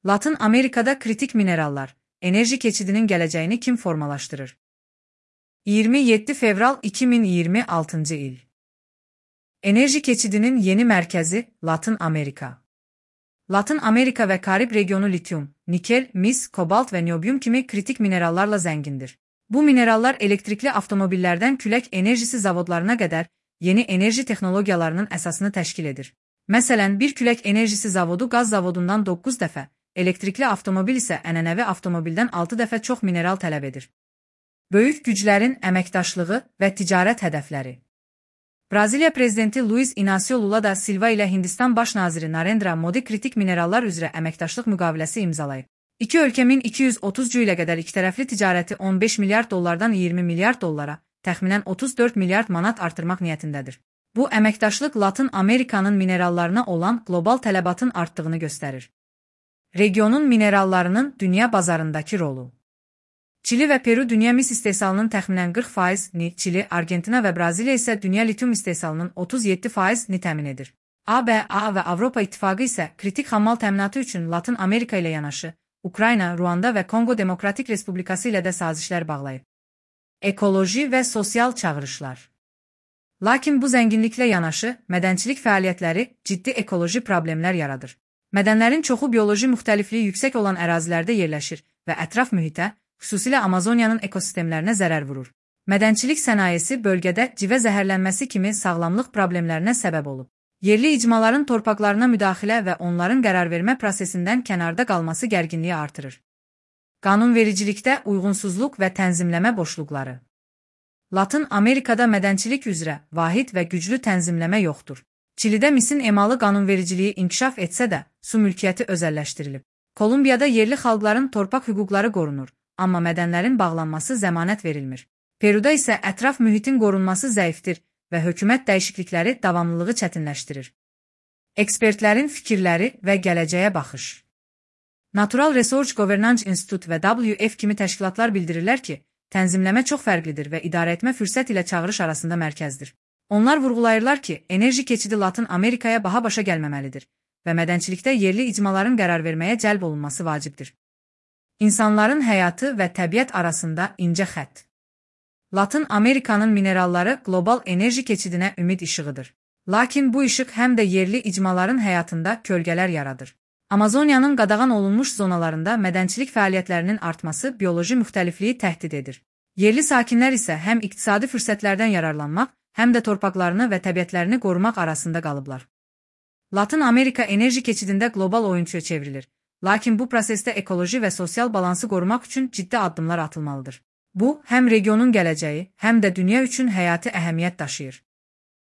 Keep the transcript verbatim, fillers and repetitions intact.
Latın Amerika'da kritik minerallar, enerji keçidinin geleceğini kim formalaştırır? yirmi yedi Fevral iki bin yirmi altıncı il. Enerji keçidinin yeni merkezi Latın Amerika. Latın Amerika ve Karib regionu lityum, nikel, mis, kobalt ve niyobiyum kimi kritik minerallarla zengindir. Bu minerallar elektrikli avtomobillerden külək enerjisi zavodlarına kadar yeni enerji texnologiyalarının əsasını təşkil edir. Məsələn, bir külək enerjisi zavodu qaz zavodundan doqquz dəfə, elektrikli avtomobil isə ənənəvi avtomobildən altı dəfə çox mineral tələb edir. Böyük güclərin əməkdaşlığı və ticarət hədəfləri. Braziliya prezidenti Luiz Inácio Lula da Silva ilə Hindistan baş naziri Narendra Modi kritik minerallar üzrə əməkdaşlıq müqaviləsi imzalayıb. İki ölkəmin iki yüz otuzcu ilə qədər ikitərəfli ticarəti on beş milyard dollardan iyirmi milyard dollara, təxminən otuz dörd milyard manat artırmaq niyyətindədir. Bu əməkdaşlıq Latın Amerikanın minerallarına olan qlobal tələbatın artdığını göstərir. Regionun minerallarının dünya bazarındakı rolu. Çili və Peru dünya mis istehsalının təxminən qırx faizini, Çili, Argentina və Braziliya isə dünya lityum istehsalının otuz yeddi faizini təmin edir. A B A və Avropa İttifaqı isə kritik xammal təminatı üçün Latın Amerika ilə yanaşı, Ukrayna, Ruanda və Kongo Demokratik Respublikası ilə də sazişlər bağlayıb. Ekoloji və sosial çağırışlar. Lakin bu zənginliklə yanaşı, mədənçilik fəaliyyətləri ciddi ekoloji problemlər yaradır. Mədənlərin çoxu bioloji müxtəlifliyi yüksək olan ərazilərdə yerləşir və ətraf mühitə, xüsusilə Amazoniyanın ekosistemlərinə zərər vurur. Mədənçilik sənayesi bölgədə civə zəhərlənməsi kimi sağlamlıq problemlərinə səbəb olub. Yerli icmaların torpaqlarına müdaxilə və onların qərarvermə prosesindən kənarda qalması gərginliyi artırır. Qanunvericilikdə uyğunsuzluq və tənzimləmə boşluqları. Latın Amerikada mədənçilik üzrə vahid və güclü tənzimləmə yoxdur. Çilidə misin emalı qanunvericiliyi inkişaf etsə də, su mülkiyyəti özəlləşdirilib. Kolumbiyada yerli xalqların torpaq hüquqları qorunur, amma mədənlərin bağlanması zəmanət verilmir. Peruda isə ətraf mühitin qorunması zəifdir və hökumət dəyişiklikləri davamlılığı çətinləşdirir. Ekspertlərin fikirləri və gələcəyə baxış. Natural Resource Governance Institute və W F kimi təşkilatlar bildirirlər ki, tənzimləmə çox fərqlidir və idarəetmə fürsət ilə çağırış arasında mərkəzdir. Onlar vurğulayırlar ki, enerji keçidi Latın Amerikaya baha başa gəlməməlidir və mədənçilikdə yerli icmaların qərar verməyə cəlb olunması vacibdir. İnsanların həyatı və təbiət arasında incə xətt. Latın Amerikanın mineralları qlobal enerji keçidinə ümid işığıdır. Lakin bu işıq həm də yerli icmaların həyatında kölgələr yaradır. Amazoniyanın qadağan olunmuş zonalarında mədənçilik fəaliyyətlərinin artması bioloji müxtəlifliyi təhdid edir. Yerli sakinlər isə həm iqtisadi fürsətlərdən yararlanmaq, həm də torpaqlarını və təbiətlərini qorumaq arasında qalıblar. Latın Amerika enerji keçidində qlobal oyunçuya çevrilir. Lakin bu prosesdə ekoloji və sosial balansı qorumaq üçün ciddi addımlar atılmalıdır. Bu, həm regionun gələcəyi, həm də dünya üçün həyati əhəmiyyət daşıyır.